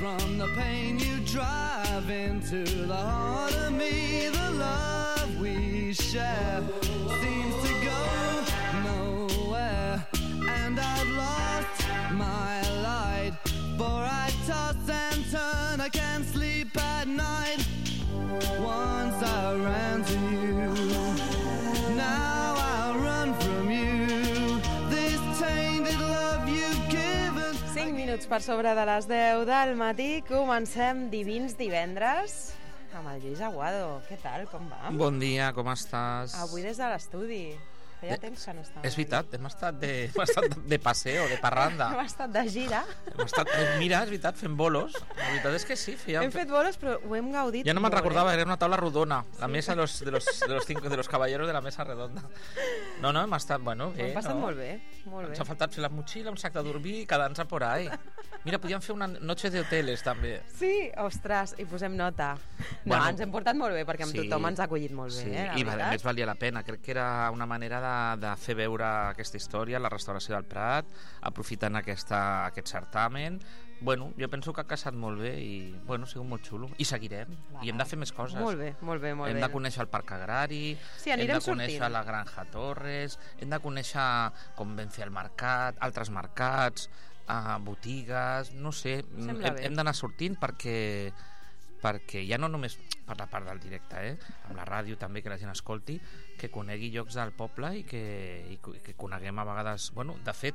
from the pain you drive into the heart of me. The love we share seems to go nowhere, and I've lost my light, for I toss and turn, I can't sleep at night. Once I ran to you, now I'll run from you. This tainted love you've given. 5 minuts per sobre de les 10 del matí. Comencem Divins Divendres amb el Lluís Aguado. Què tal, com va? Bon dia, com estàs? Avui des de l'estudi. Feia temps que no estava. És veritat, hem estat de paseo, de parranda. Hem estat de gira. Mira, és veritat, fent bolos. La veritat és que sí. Hem fet bolos, però ho hem gaudit. Ja no me'n recordava, era una taula rodona. La mesa de los caballeros de la mesa redonda. No, hem estat, bueno, bé. Hem passat molt bé, molt bé. Ens ha faltat fer la motxilla, un sac de dormir i quedar-nos por ahí. Mira, podíem fer una noche de hoteles, també. Sí, ostres, i posem nota. No, bueno, ens hem portat molt bé, perquè amb tothom ens ha acollit molt bé. Sí, i a més valia la pena. Crec que era una manera de fer veure aquesta història, la restauració del Prat, aprofitant aquest certamen. Bueno, jo penso que ha casat molt bé i, bueno, ha sigut molt xulo. I seguirem. I hem de fer més coses. Molt bé, molt bé, molt bé. Hem de conèixer el Parc Agrari, sí, hem de conèixer la Granja Torres, hem de conèixer com vam fer el mercat, altres mercats, botigues, no sé. Hem d'anar sortint perquè ja no només per la part del directe, amb la ràdio també, que la gent escolti, que conegui llocs del poble i que coneguem a vegades, bueno, de fet,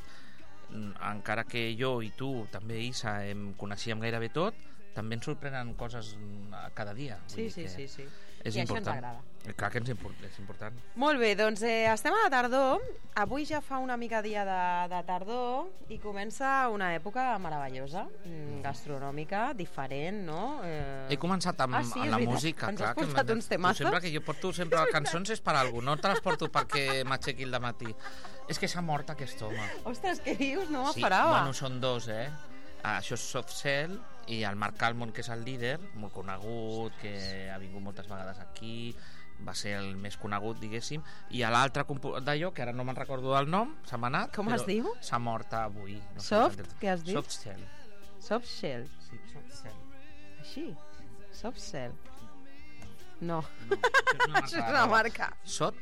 encara que jo i tu també, Isa, coneixíem gairebé tot, també ens sorprenen coses cada dia. Sí. És I important. això ens agrada. Clar que és important. Molt bé, doncs estem a la tardor. Avui ja fa una mica dia de tardor i comença una època meravellosa, gastronòmica, diferent, no? He començat amb la música. Ens has portat uns temazos. Sempre que jo porto sempre cançons és per alguna cosa, no te les porto perquè m'aixequi el dematí. És que s'ha mort aquest home. Ostres, què dius? No Sí, m'esperava. bueno, són dos, Això és Soft Cell i el Marc Almond, que és el líder, molt conegut, que ha vingut moltes vegades aquí, va ser el més conegut, diguéssim, i l'altre d'allò, que ara no me'n recordo del nom, s'ha anat. Com es diu? S'ha mort avui. No Soft? Què has dit? Soft Cell. Soft Cell? Sí, Soft Cell. Així? Soft Cell? No. Això és una marca. Sot?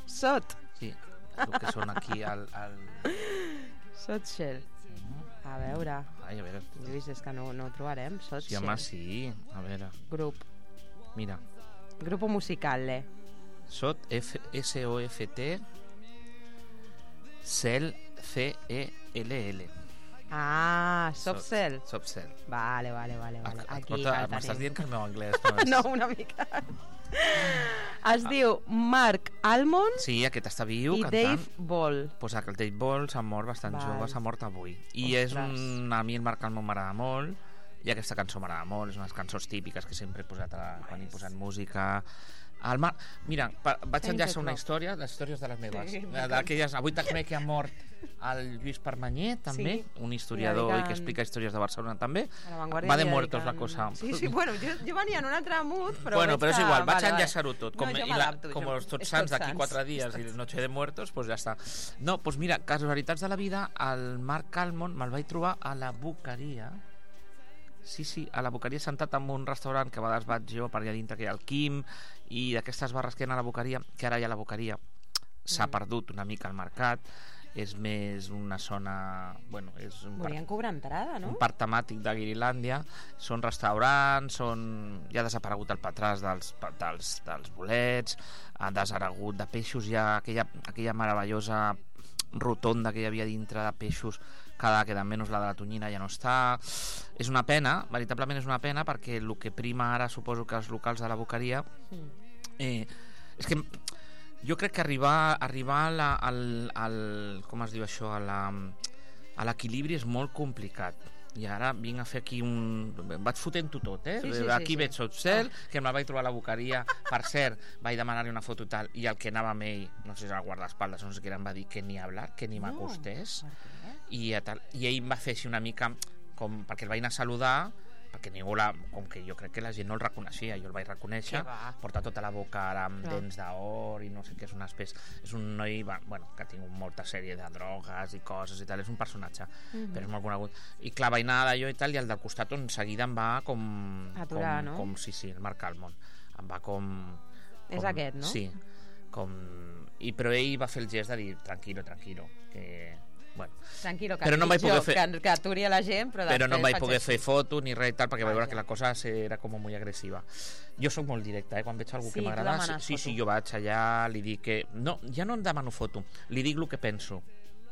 Sí, el que són aquí al... Soft Cell. A veure. Ai, a veure. Lluís, és que no ho trobarem. Soft Sí, home, sí. A veure. Grup. Mira. Grupo musical, Sot, S-O-F-T, Cell, C-E-L-L. Ah, Soft Cell. Soft Cell. Vale. Aquí m'estàs dient que el meu anglès no, una mica. Es diu Marc Almond. Sí, aquest està viu, i cantant. Dave Ball. Pues el Dave Ball s'ha mort bastant jove, s'ha mort avui. I a mi el Marc Almond m'agrada molt, i aquesta cançó m'agrada molt, és unes cançons típiques que sempre he posat quan he posat música. Mira, vaig enllaçar una història, les històries de les meves, d'aquelles. Avui també que ha mort el Lluís Permanyer, també, un historiador i que explica històries de Barcelona també. Va de muertos la cosa. Sí, bueno, jo venia en un altre mood, però bueno, però és igual, vaig enllaçar-ho tot. Com els Tots Sants d'aquí 4 dies i Noche de Muertos, pues ja està. No, pues mira, casualitats de la vida, el Marc Almond me'l vaig trobar a la Boqueria. Sí, a la Boqueria, sentat en un restaurant que a vegades vaig jo per allà dintre, que hi ha el Quim, i d'aquestes barres que hi ha a la Boqueria, que ara hi ha la Boqueria, s'ha perdut una mica al mercat, és més una zona... Bueno, és volien cobrar entrada, no? Un parc temàtic de Guirilàndia, són restaurants, ja ha desaparegut el patràs dels bolets, ha desaparegut de peixos, ja aquella meravellosa rotonda que hi havia dintre de peixos, cada queda menys la de la tonyina ja no està. És una pena, veritablement és una pena, perquè el que prima ara suposo que els locals de la Boqueria és que jo crec que arribar al com es diu això, a l'equilibri és molt complicat. I ara vinc a fer aquí vaig fotent-ho tot, aquí veig Soft Cell, que me'l vaig trobar a la Boqueria. Per cert, vaig demanar-li una foto tal, i el que anava amb ell, no sé si era el guardaespaldes, no sé què era, em va dir que ni hablar, que ni m'acostés, i ell em va fer així una mica com perquè el vaig anar a saludar, perquè ningú com que jo crec que la gent no el reconeixia, jo el vaig reconèixer, porta tota la boca ara amb dents d'or i no sé què, és una espècie, és un noi bueno, que ha tingut molta sèrie de drogues i coses i tal, és un personatge, però és molt conegut, i clar, vaig anar d'allò i tal, i el del costat on seguida em va com aturar, no? Com sí, el Marc Almond em va com és aquest, no? Sí, però ell va fer el gest de dir tranquilo, que bueno. Tranquilo, que, però no vaig poder fer... que aturi a la gent, però no vaig poder fer foto ni res i tal, perquè vaig veure que la cosa era com molt agressiva. Jo sóc molt directe, quan veig algú que m'agrada, sí, jo vaig allà, li dic que... No, ja no em demano foto, li dic el que penso,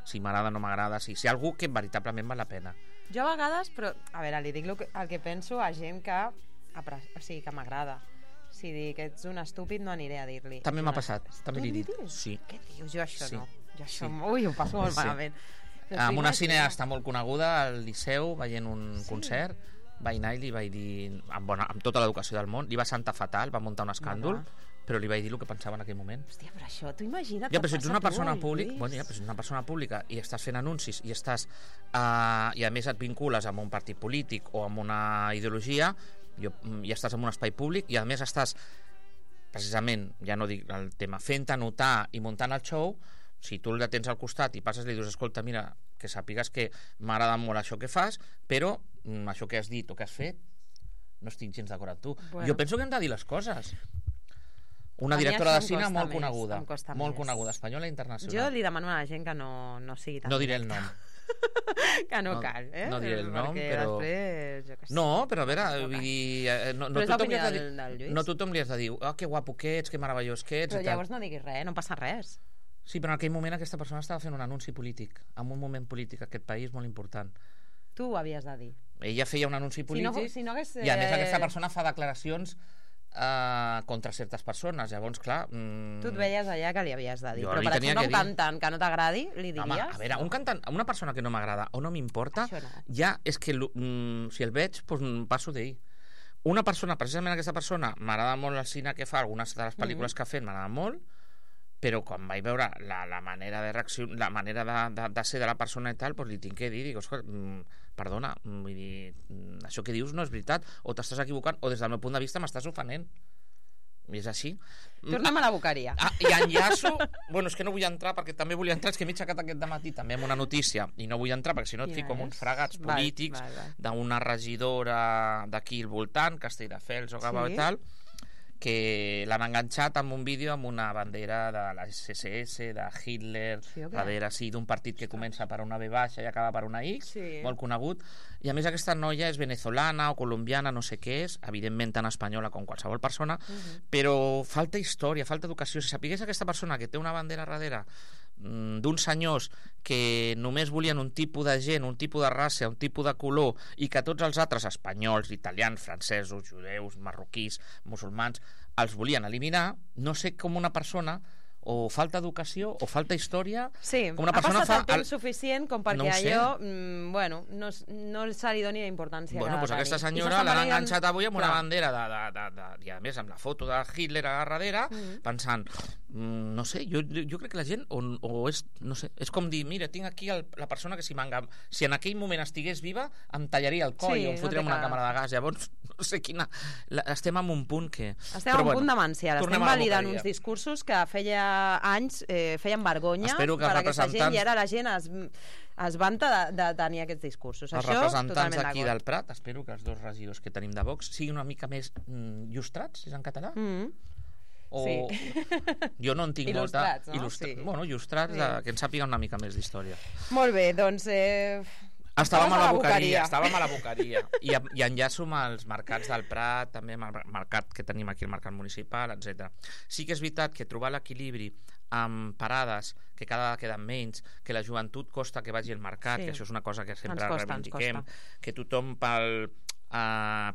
si m'agrada o no m'agrada, si algú que veritablement val la pena. Jo a vegades, però, a veure, li dic el que penso a gent que m'agrada. Si dic que ets un estúpid, no aniré a dir-li. També m'ha passat, també li dic. Sí. Què dius? Jo això no. Jo això, ui, ho passo molt malament. Amb una cineasta molt coneguda al Liceu, veient un concert, vaig anar i li vaig dir, amb tota l'educació del món, li va sentar fatal, va muntar un escàndol, però li vaig dir el que pensava en aquell moment. Hòstia, però això, tu imagina't... Ja, però si ets una persona pública i estàs fent anuncis i estàs i a més et vincules amb un partit polític o amb una ideologia, i estàs en un espai públic i a més estàs precisament, ja no dic el tema, fent-te notar i muntant el show, si tu el tens al costat i passes i li dius, escolta, mira, que sàpigues que m'agrada molt això que fas, però això que has dit o que has fet no estic gens d'acord amb tu. Bueno. Jo penso que hem de dir les coses. Una directora de cine molt coneguda, espanyola i internacional. Jo li demano a la gent que no sigui tan... No diré el nom. Que no cal, No diré el nom, però... Després, jo què sé. No, però a veure, vull dir... No tothom li has de dir, que guapo que ets, que meravellós que ets... Però llavors no diguis res, no passa res. Sí, però en aquell moment aquesta persona estava fent un anunci polític, en un moment polític, aquest país molt important. Tu ho havies de dir. Ella feia un anunci polític si no hagués... i a més aquesta persona fa declaracions contra certes persones, llavors clar... Tu et veies allà que li havies de dir, però per exemple un cantant que no t'agradi li diries? Home, a veure, un cantant, una persona que no m'agrada o no m'importa, ja és que si el veig, doncs passo d'ell. Una persona, precisament aquesta persona, m'agrada molt el cine que fa, algunes de les pel·lícules que ha fet m'agrada molt, però quan vaig veure la manera de reacció, la manera de ser de la persona i tal, doncs li tinc que dir, dic, perdona, vull dir, això que dius no és veritat, o t'estàs equivocant, o des del meu punt de vista m'estàs ofenent. I és així. Tornem a la boqueria. I enllaço... Bueno, és que no vull entrar, perquè també volia entrar, és que m'he aixecat aquest dematí també amb una notícia, i no vull entrar, perquè si no et fico amb uns fregats polítics d'una regidora d'aquí al voltant, Castelldefels o Gavà i tal, que l'han enganxat amb un vídeo amb una bandera de la SSS, de Hitler, darrere d'un partit que comença per una V baixa i acaba per una X, molt conegut, i a més aquesta noia és venezolana o colombiana, no sé què és, evidentment tan espanyola com qualsevol persona, però falta història, falta educació. Si sapigués aquesta persona que té una bandera darrere d'uns senyors que només volien un tipus de gent, un tipus de raça, un tipus de color, i que tots els altres, espanyols, italians, francesos, judeus, marroquís, musulmans, els volien eliminar, no sé com una persona o falta educació o falta història. Sí, com una ha persona passat el temps suficient com perquè allò no se li doni la importància que doncs aquesta senyora l'han enganxat avui amb una bandera i a més amb la foto de Hitler a darrere, pensant, no sé, jo crec que la gent o és, no sé, és com dir, mira, tinc aquí la persona que si en aquell moment estigués viva em tallaria el coll o em fotria una càmera de gas. Llavors no sé quina... Estem en un punt que... Estem en un punt demencial, estem validant uns discursos que feia anys feien vergonya per a aquesta gent i ara la gent es vanta de tenir aquests discursos. Els representants d'aquí del Prat, espero que els dos regidors que tenim de Vox siguin una mica més llustrats, és en català? Jo no en tinc il·lustrats, molta... no? Bueno, il·lustrats, que en sàpiguen una mica més d'història. Molt bé, doncs... Estàvem a la boqueria i enllaço amb els mercats del Prat, també amb el mercat que tenim aquí, el mercat municipal, etc. Sí que és veritat que trobar l'equilibri amb parades que cada vegada queden menys, que la joventut costa que vagi al mercat, que això és una cosa que sempre reivindiquem, que tothom per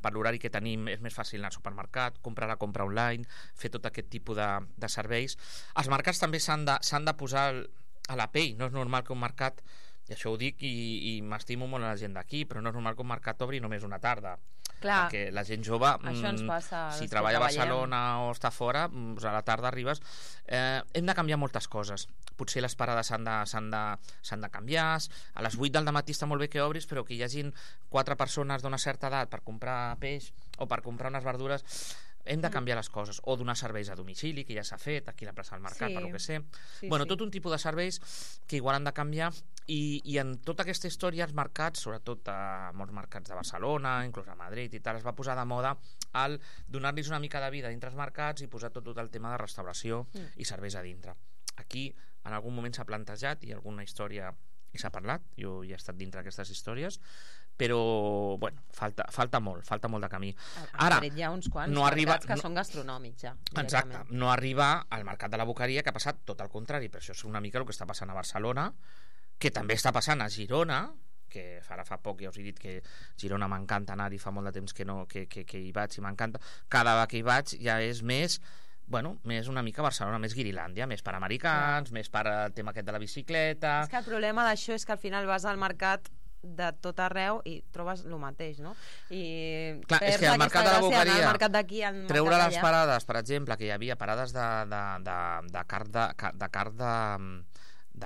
l'horari que tenim és més fàcil anar al supermercat, comprar la compra online, fer tot aquest tipus de serveis. Els mercats també s'han de posar a la pell, no és normal que un mercat, i això ho dic i m'estimo molt a la gent d'aquí, però no és normal que un mercat obri només una tarda. Clar. Perquè la gent jove, Això ens passa als si que treballa a treballem. Barcelona o està fora, doncs a la tarda arribes. Hem de canviar moltes coses. Potser les parades s'han de canviar. A les 8 del matí està molt bé que obris, però que hi hagin 4 persones d'una certa edat per comprar peix o per comprar unes verdures. Hem de canviar les coses, o donar serveis a domicili, que ja s'ha fet aquí a la plaça del Mercat, Sí. per lo que sé. Sí, Bueno, sí. tot un tipus de serveis que igual han de canviar, i en tota aquesta història els mercats, sobretot a molts mercats de Barcelona, inclús a Madrid i tal, es va posar de moda el donar-los una mica de vida dintre els mercats i posar tot el tema de restauració i serveis a dintre. Aquí en algun moment s'ha plantejat i alguna història i s'ha parlat, jo ja he estat dintre d'aquestes històries, però bueno, falta molt de camí. A Ara, Madrid hi ha uns quants no arriba- mercats que no- són gastronòmics ja. exacte, directament. no arriba al mercat de la Boqueria, que ha passat tot el contrari, però això és una mica el que està passant a Barcelona, que també està passant a Girona, que ara fa poc ja us he dit que Girona m'encanta anar-hi, fa molt de temps que hi vaig i m'encanta. Cada vegada que hi vaig ja és més una mica Barcelona, més Guirilàndia, més per americans, més per el tema aquest de la bicicleta. És que el problema d'això és que al final vas al mercat de tot arreu i trobes el mateix, no? I Clar, és perds que al aquesta mercat de la gràcia d'anar Boqueria, al mercat d'aquí, al treure mercat les d'allà. parades, per exemple, que hi havia parades de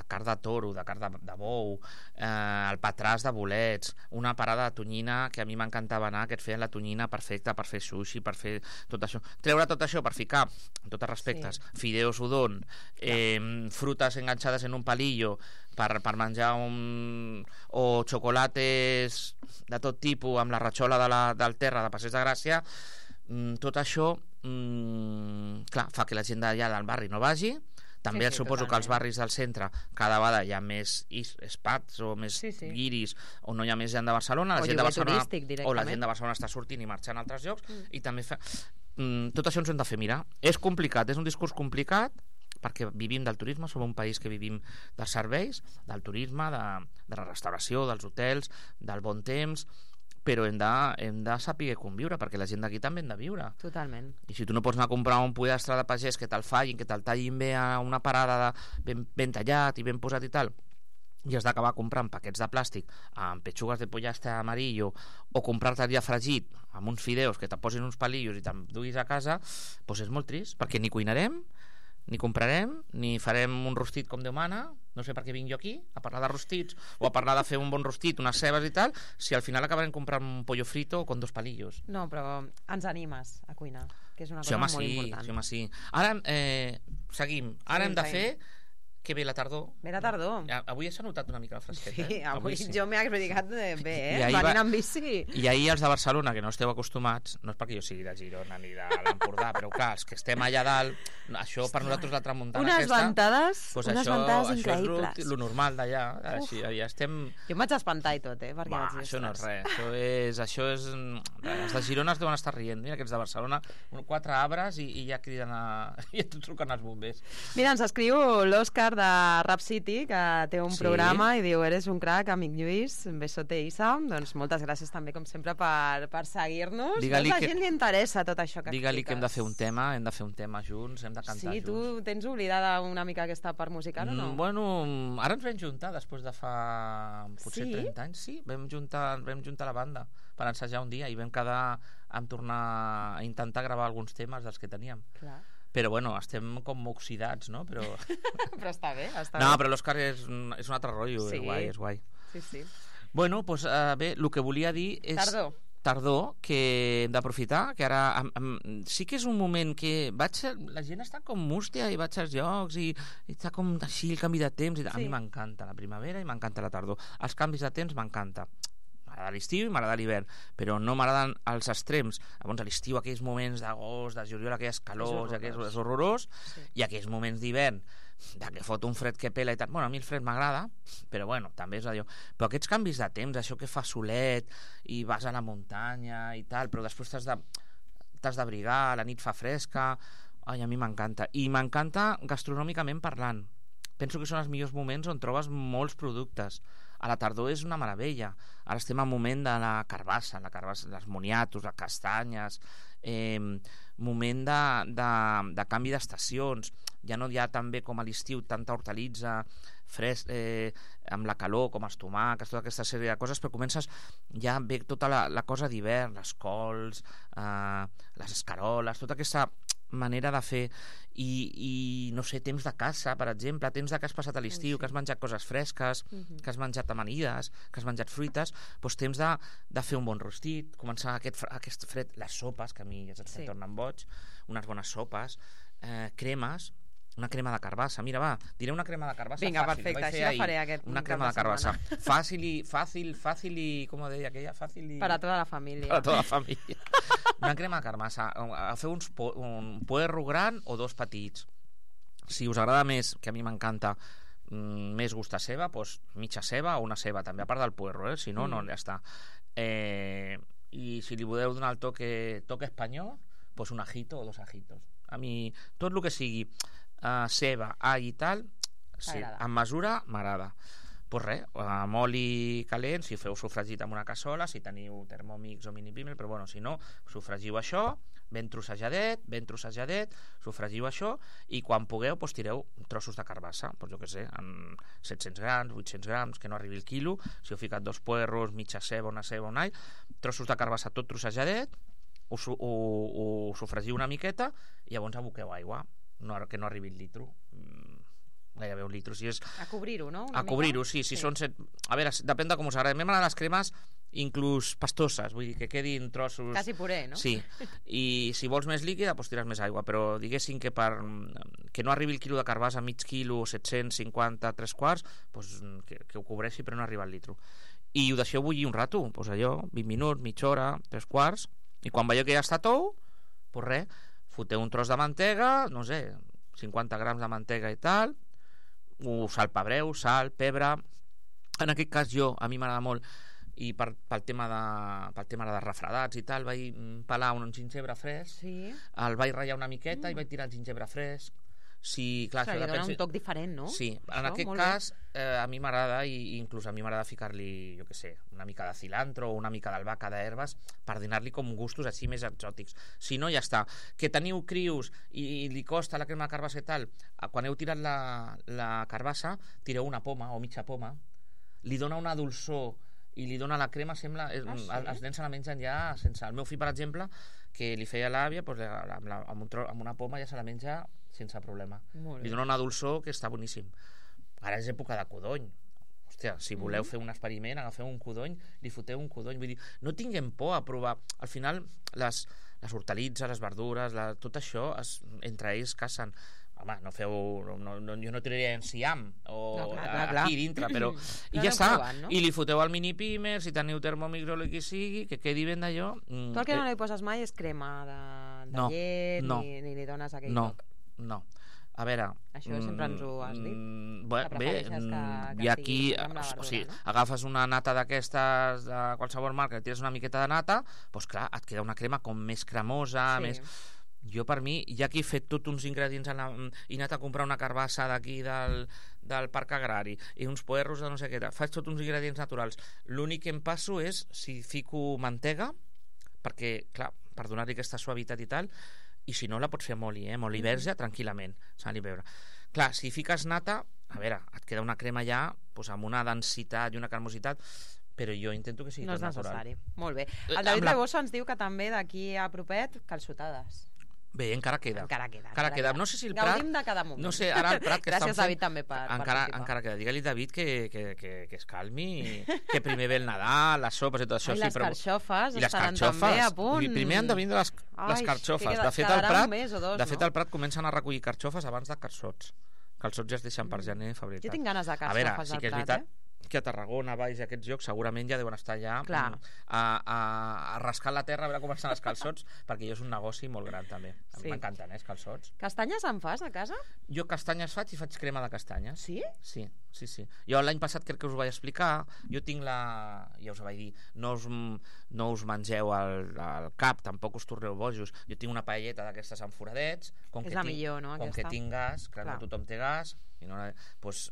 carn de toro, de carn de bou, el patràs de bolets, una parada de tonyina que a mi m'encantava anar, que et feien la tonyina perfecta per fer sushi, per fer tot això. Treure tot això per ficar, en tots els respectes, fideos udon, frutes enganxades en un palillo per menjar o xocolates de tot tipus amb la ratxola del terra de Passeig de Gràcia, tot això clar, fa que la gent d'allà del barri no vagi. També Sí, suposo que als totalment. barris del centre cada vegada hi ha més espats o més Sí. guiris, o no hi ha més gent de Barcelona, O la gent de lloguer Barcelona turístic, o la directament. gent de Barcelona està sortint i marxant a altres llocs, i també tot això ens ho hem de fer mirar. És complicat, és un discurs complicat, perquè vivim del turisme, som un país que vivim dels serveis, del turisme, de la restauració, dels hotels, del bon temps, però hem de saber conviure, perquè la gent d'aquí també hem de viure. Totalment. I si tu no pots anar a comprar un pollastre de pagès que te'l fallin, que te'l tallin bé a una parada ben tallat i ben posat i tal, i has d'acabar comprant paquets de plàstic amb petxugues de pollastre amarillo, o comprar-te ja fregit amb uns fideus que te posin uns palillos i te'n duis a casa, doncs és molt trist, perquè ni cuinarem, ni comprarem, ni farem un rostit com Déu mana. No sé per què vinc jo aquí a parlar de rostits o a parlar de fer un bon rostit, unes cebes i tal, si al final acabarem comprant un pollo frito con 2 palillos. No, però ens animes a cuinar, que és una Sí, cosa home, molt sí, important. sí, home, sí. Ara seguim. Ara hem de fer que ve la tardor. Ve la tardor. Avui s'ha notat una mica el fresquet, Sí, avui sí. jo m'he explicat bé, I ahir venint amb bici. I ahir els de Barcelona, que no esteu acostumats, no és perquè jo sigui de Girona ni de l'Empordà, però clar, els que estem allà dalt, això per nosaltres la tramuntana Unes aquesta... ventades, Doncs unes això, ventades això increïbles. és lo normal d'allà, així, ja estem... Jo em vaig espantar i tot, perquè Va, vaig dir, això no és "Ostres". res, això és... Els de Girona es deuen estar rient, mira aquests de Barcelona, 4 arbres i ja criden i ja truquen els bombers. Mira, ens escriu l'Òscar de Rap City, que té un Sí. programa i diu, eres un crac, amic Lluís, un besote, Isa. Doncs moltes gràcies també, com sempre, per seguir-nos. Digue-li A la que- gent li interessa tot això que Digue-li que hem de fer un expliques. tema, hem de fer un tema junts, hem de cantar Sí, junts. tu tens oblidada una mica aquesta part musical o no? Bueno, ara ens vam juntar després de fa potser Sí? 30 anys, sí, vam juntar la banda per ensajar un dia i vam quedar en tornar a intentar gravar alguns temes dels que teníem. Clar. Però bueno, estem com oxidats, no? Però... Però està bé, està No, bé. però l'Òscar és un altre rotllo, Sí. és guai. Sí, sí. Bueno, doncs bé, el que volia dir és... Tardor, que hem d'aprofitar, que ara sí que és un moment que la gent està com mústia i vaig als llocs i està com així el canvi de temps. A mi m'encanta la primavera i m'encanta la tardor. Els canvis de temps m'encanta. M'agrada l'estiu i m'agrada l'hivern, però no m'agraden els extrems. Llavors a l'estiu aquells moments d'agost, de juliol, aquelles calors, és horrorós, i aquells moments d'hivern de que fot un fred que pela i tal. Bueno, a mi el fred m'agrada, però bueno, també és allò. Però aquests canvis de temps, això que fa solet i vas a la muntanya i tal, però després t'has d'abrigar, la nit fa fresca. Ai, a mi m'encanta. I m'encanta gastronòmicament parlant. Penso que són els millors moments on trobes molts productes. A la tardor és una meravella. Ara estem en moment de la carbassa, les moniatos, les castanyes, moment de canvi d'estacions, ja no hi ha també com a l'estiu tanta hortalitza amb la calor, com els tomàquets, tota aquesta sèrie de coses, però comences ja ve tota la cosa d'hivern, les cols, les escaroles, tota aquesta manera de fer i no sé, temps de caça, per exemple, temps que has passat a l'estiu, que has menjat coses fresques, que has menjat amanides, que has menjat fruites, doncs temps de fer un bon rostit, començar aquest fred, les sopes, que a mi ja se'm tornen boig, unes bones sopes, cremes, una crema de carbassa. Mira, va, diré una crema de carbassa. Vinga, perfecte, així la faré aquest una crema de carbassa. Fàcil i, com ho deia aquella? Fàcil i... Para tota la família. Para tota la família. Una crema de carbassa. Feu un puerro gran o dos petits. Si us agrada més, que a mi m'encanta, més gust a ceba, doncs mitja ceba o una ceba, també, a part del puerro, si no, no, ja està. I si li voleu donar el toque espanyol, doncs un ajito o dos ajitos. A mi, tot el que sigui ceba, all i tal, sí, en mesura m'agrada. Doncs res, amb oli calent, si feu sofregit amb una cassola, si teniu Thermomix o mini pimer, però bueno, si no, sofregiu això, ben trossejadet, sofregiu això, i quan pugueu, doncs tireu trossos de carbassa, doncs jo què sé, en 700 grams, 800 grams, que no arribi el quilo, si heu ficat dos puerros, mitja ceba, una un all, trossos de carbassa tot trossejadet, ho sofregiu una miqueta i llavors aboqueu aigua, que no arribi el litro, gairebé un litro. Si és... A cobrir-ho, no? A cobrir-ho, sí. Són a veure, depèn de com us agrada. A mi m'agraden les cremes inclús pastoses, vull dir que quedin trossos... Quasi puré, no? Sí, i si vols més líquida, doncs tires més aigua, però diguéssim que que no arribi el quilo de carbassa, mig quilo, 750, 3/4, doncs que ho cobreixi però no arriba al litro. I ho deixeu bullir un rato, doncs allò, 20 minuts, mitja hora, 3/4, i quan veieu que ja està tou, doncs res, foteu un tros de mantega, no sé, 50 grams de mantega i tal, ho salpebreu, sal, pebre. En aquest cas a mi m'agrada molt, i pel tema de refredats i tal, vaig pelar un gingebre fresc, el vaig ratllar una miqueta i vaig tirar el gingebre fresc. Sí, clar, li dona un toc diferent, no? Sí, en aquest cas a mi m'agrada, i inclús a mi m'agrada ficar-li, jo què sé, una mica de cilantro o una mica d'albahaca, d'herbes, per donar-li com gustos així més exòtics. Si no, ja està. Que teniu crius i li costa la crema de carbassa i tal, quan heu tirat la carbassa, tireu una poma o mitja poma, li dona una dolçor i li dona la crema, sembla... Els nens se la mengen ja sense... El meu fill, per exemple, que li feia l'àvia, amb una poma ja se la menja sense problema. Li dona una dolçor que està boníssim. Ara és època de codony. Hòstia, si voleu fer un experiment, agafeu un codony, li foteu un codony. Vull dir, no tinguem por a provar. Al final, les hortalitzes, les verdures, tot això, entre ells cacen. Home, no feu... jo no tiraria enciam aquí dintre, però... I ja està. I li foteu al mini pimer, si teniu Thermomix o el que sigui, que quedi ben d'allò. Tu el que no li poses mai és crema de llet, ni li dones aquell toc. No. A veure... Això sempre ens ho has dit. Bé, i aquí... O sigui, agafes una nata d'aquestes de qualsevol marca, tires una miqueta de nata, doncs clar, et queda una crema com més cremosa, més... Jo, per mi, ja que he fet tots uns ingredients i he anat a comprar una carbassa d'aquí del Parc Agrari i uns puerros de no sé què, faig tots uns ingredients naturals. L'únic que em passo és si fico mantega, perquè, clar, per donar-li aquesta suavitat i tal, i si no la pots fer amb oli, amb oli verge, tranquil·lament, sal i pebre. Clar, si fiques nata, a veure, et queda una crema ja amb una densitat i una cremositat, però jo intento que sigui tot natural. No és necessari. Molt bé. El David Rebosa ens diu que també d'aquí a propet, calçotades. Bé, encara queda. Encara queda. No sé si el Prat... Gaudim de cada moment. No sé, ara el Prat que Gràcies, estan fent... David, també per participar. Encara queda. Digue-li, David, que es calmi, que primer ve el Nadal, les sopes i tot això. I les carxofes estaran també a punt. Primer han de vindre les carxofes. De fet, al Prat comencen a recollir carxofes abans de calçots. Calçots ja es deixen per gener, febrer. Jo tinc ganes de carxofes al Prat, que a Tarragona, Valls i aquests llocs segurament ja deuen estar ja a rascar la terra a veure com estan els calçots, perquè jo és un negoci molt gran també. A mi m'encanten, els calçots. Castanyes en fas a casa? Jo castanyes faig i faig crema de castanyes. Sí? Sí. Jo l'any passat crec que us ho vaig explicar, jo tinc ja us ho vaig dir, no us mengeu al cap, tampoc us torneu bojos, jo tinc una paelleta d'aquestes amb foradets, com que tinc gas, clar, no tothom té gas, I no, doncs,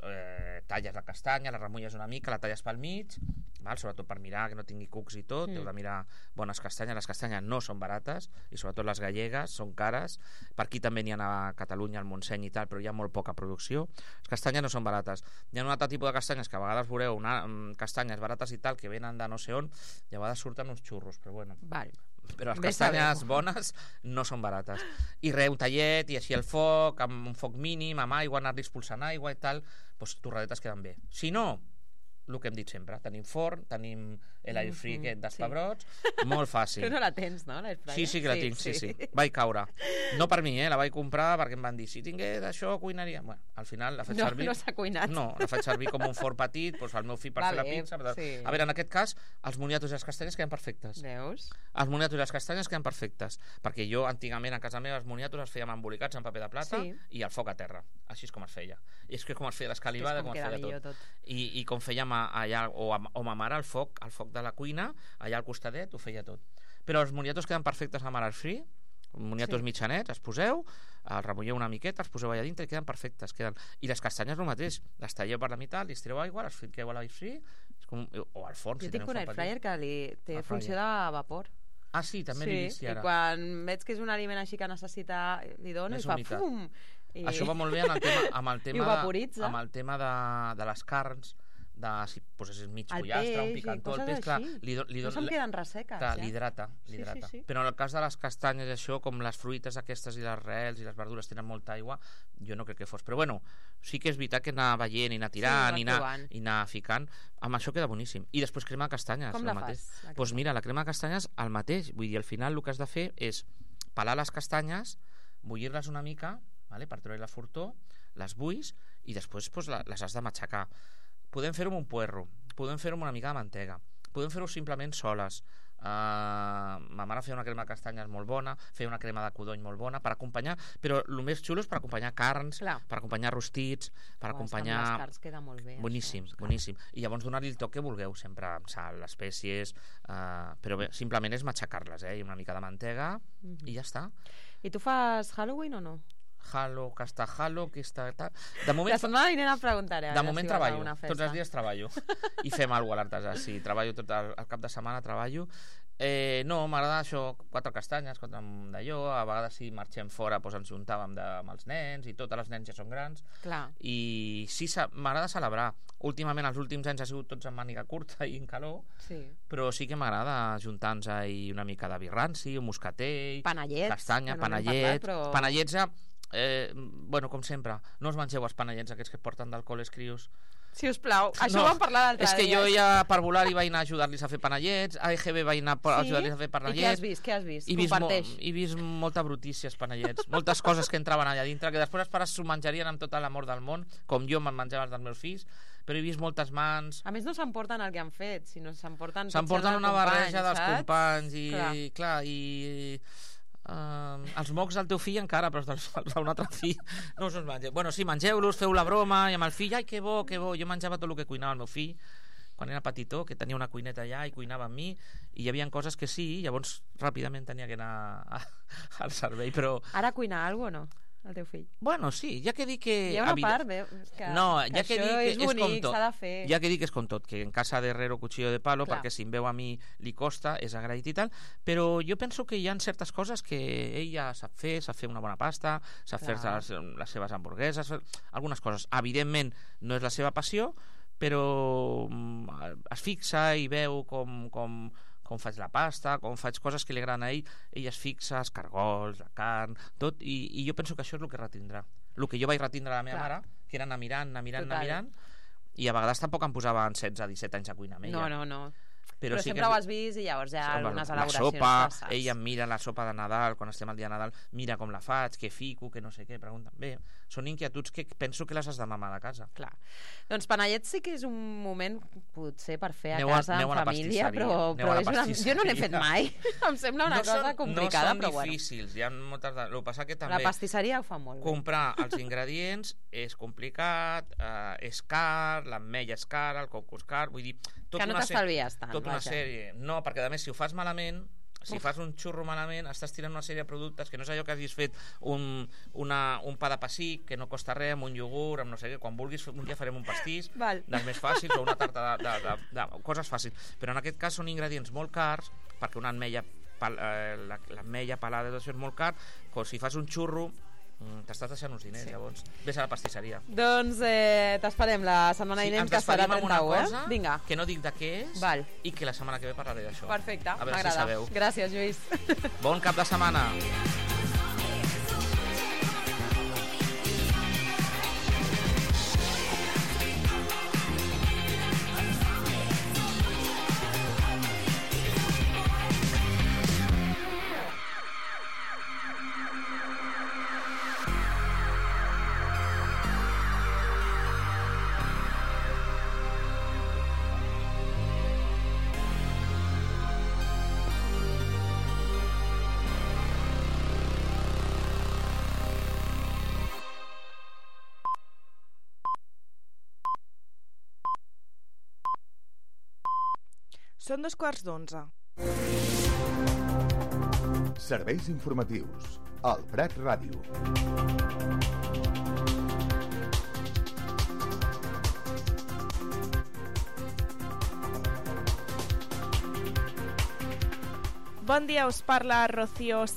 talles la castanya, la remulles una mica, la talles pel mig, val? Sobretot per mirar que no tingui cucs i tot, heu de mirar bones castanyes. Les castanyes no són barates, i sobretot les gallegues són cares. Per aquí també n'hi ha a Catalunya, al Montseny i tal, però hi ha molt poca producció. Les castanyes no són barates. Hi ha un altre tipus de castanyes que a vegades veureu castanyes barates i tal, que venen de no sé on, i a vegades surten uns xurros, però bueno. Val. Però les castanyes bones no són barates. I un tallet, i així el foc, amb un foc mínim, amb aigua, anar-li expulsant aigua i tal, doncs torradetes queden bé. Si no, el que hem dit sempre, tenim forn, tenim l'air free aquest dels pebrots, molt fàcil. Tu no la tens, no, l'air fryer? Sí que la tinc, sí. Vaig caure. No per mi, la vaig comprar perquè em van dir, si tingués això, cuinaria. Bueno, al final la faig servir... No s'ha cuinat. No, la faig servir com un forn petit, doncs al meu fill per fer la pizza. A veure, en aquest cas, els moniatos i les castanyes queden perfectes. Veus? Els moniatos i les castanyes queden perfectes, perquè jo antigament a casa meva els moniatos els fèiem embolicats en paper de plata i al foc a terra. Així és com es feia. I és que com es feia l'escalivada, com es feia tot. I com fèiem allà, o ma mare al foc de la cuina, allà al costadet, ho feia tot. Però els moniatos queden perfectes amb air free, moniatos mitjanets, els poseu, els remulleu una miqueta, els poseu allà dintre i queden perfectes. I les castanyes el mateix, les talleu per la meitat, li estireu aigua, les fiqueu a l'air free, o al forn. Jo tinc un air fryer que té funció de vapor. Ah, sí, també l'he vist ara. I quan veig que és un aliment així que necessita, li dono i fa fum. Això va molt bé amb el tema de les carns, si posessis mig pollastre, un picantó, el peix, clar, no se'm queden resseques. L'hidrata. Però en el cas de les castanyes, això, com les fruites aquestes i les rels i les verdures tenen molta aigua, jo no crec que fos. Però bueno, sí que és veritat que anar veient i anar tirant i anar ficant, amb això queda boníssim. I després crema de castanyes. Com la fas? Doncs mira, la crema de castanyes el mateix, vull dir, al final el que has de fer és pelar les castanyes, bullir-les una mica, per treure la fortor, les bulls i després les has de matxacar. Podem fer-ho amb un puerro, podem fer-ho amb una mica de mantega, podem fer-ho simplement soles. Ma mare feia una crema de castanyes molt bona, feia una crema de codony molt bona per acompanyar, però el més xulo és per acompanyar carns, per acompanyar rostits, per acompanyar... Amb les carns queda molt bé. Boníssim. I llavors donar-li el toc que vulgueu, sempre amb sal, espècies, però bé, simplement és matxacar-les, i una mica de mantega i ja està. I tu fas Halloween o no? Que està... De moment, la setmana vinent em preguntaré. De moment treballo, tots els dies treballo i fem alguna cosa a l'artesà, sí, treballo tot el cap de setmana, treballo. No, m'agrada això, 4 castanyes, 4 d'allò, a vegades si marxem fora ens juntàvem amb els nens i tots els nens ja són grans. I sí, m'agrada celebrar. Últimament, els últims anys ha sigut tots en màniga curta i en calor, però sí que m'agrada juntar-nos una mica de birranci, un moscatell, castanya, panellets. Bueno, com sempre, no us mengeu els panellets aquests que porten d'alcohol els crios. Si us plau, això ho vam parlar l'altre dia. És que jo ja per volar hi vaig anar a ajudar-los a fer panellets, a EGB vaig anar a ajudar-los a fer panellets. I què has vist? Comparteix. He vist molta brutícia als panellets, moltes coses que entraven allà dintre, que després els pares s'ho menjarien amb tot l'amor del món, com jo me'n menjava els dels meus fills, però he vist moltes mans. A més no s'emporten el que han fet, sinó s'emporten una barreja dels companys i clar, i... els mocs del teu fill encara, però els d'un altre fill no us mengeu. Bueno, sí, mengeu-los, feu la broma, i amb el fill, ai, que bo, jo menjava tot el que cuinava el meu fill quan era petitó, que tenia una cuineta allà i cuinava amb mi, i hi havia coses que sí, llavors ràpidament tenia que anar al servei, però... Ara cuina alguna cosa o no? El teu fill? Bueno, sí, ja que dic que... Hi ha una part, que això és bonic, s'ha de fer. Ja que dic que és com tot, que en casa de herrero cuchillo de palo, perquè si em veu a mi li costa, és agraït i tal, però jo penso que hi ha certes coses que ell ja sap fer una bona pasta, sap fer les seves hamburgueses, algunes coses. Evidentment no és la seva passió, però es fixa i veu com faig la pasta, com faig coses que li agraden a ell es fixa, els cargols, la carn, tot, i jo penso que això és el que retindrà. El que jo vaig retindre a la meva mare, que era anar mirant, i a vegades tampoc em posava en 16-17 anys a cuinar amb ella. No. Però sí sempre ho has vist i llavors hi ha algunes elaboracions. La sopa, ella em mira la sopa de Nadal, quan estem al dia de Nadal, mira com la faig, què fico, que no sé què, pregunta. Bé, són inquietuds que penso que les has de mamar de casa. Clar. Doncs panellets sí que és un moment potser per fer a casa en família, però jo no n'he fet mai. Em sembla una cosa complicada, però bueno. No són difícils, hi ha moltes... El que passa que també... La pastisseria ho fa molt bé. Comprar els ingredients és complicat, és car, l'ametlla és cara, el coco és car, vull dir... Que no t'estalvies tant. Una sèrie. No, perquè a més si ho fas malament Si fas un xurro malament, estàs tirant una sèrie de productes que no és allò que hagis fet un pa de pessic, que no costa res, amb un iogurt, amb no sé què. Quan vulguis, un dia farem un pastís dels més fàcils, o una tarta de coses fàcils. Però en aquest cas són ingredients molt cars, perquè una ametlla pelada és molt car, però si fas un xurro t'estàs deixant uns diners, llavors vés a la pastisseria. Doncs t'esperem la setmana vinent, que serà 31, Vinga. Que no dic de què és, i que la setmana que ve parlaré d'això. Perfecte, m'agrada. Gràcies, Lluís. Bon cap de setmana. Són 11:15. Serveis informatius al Prat Ràdio. Bon dia, us parla Rocío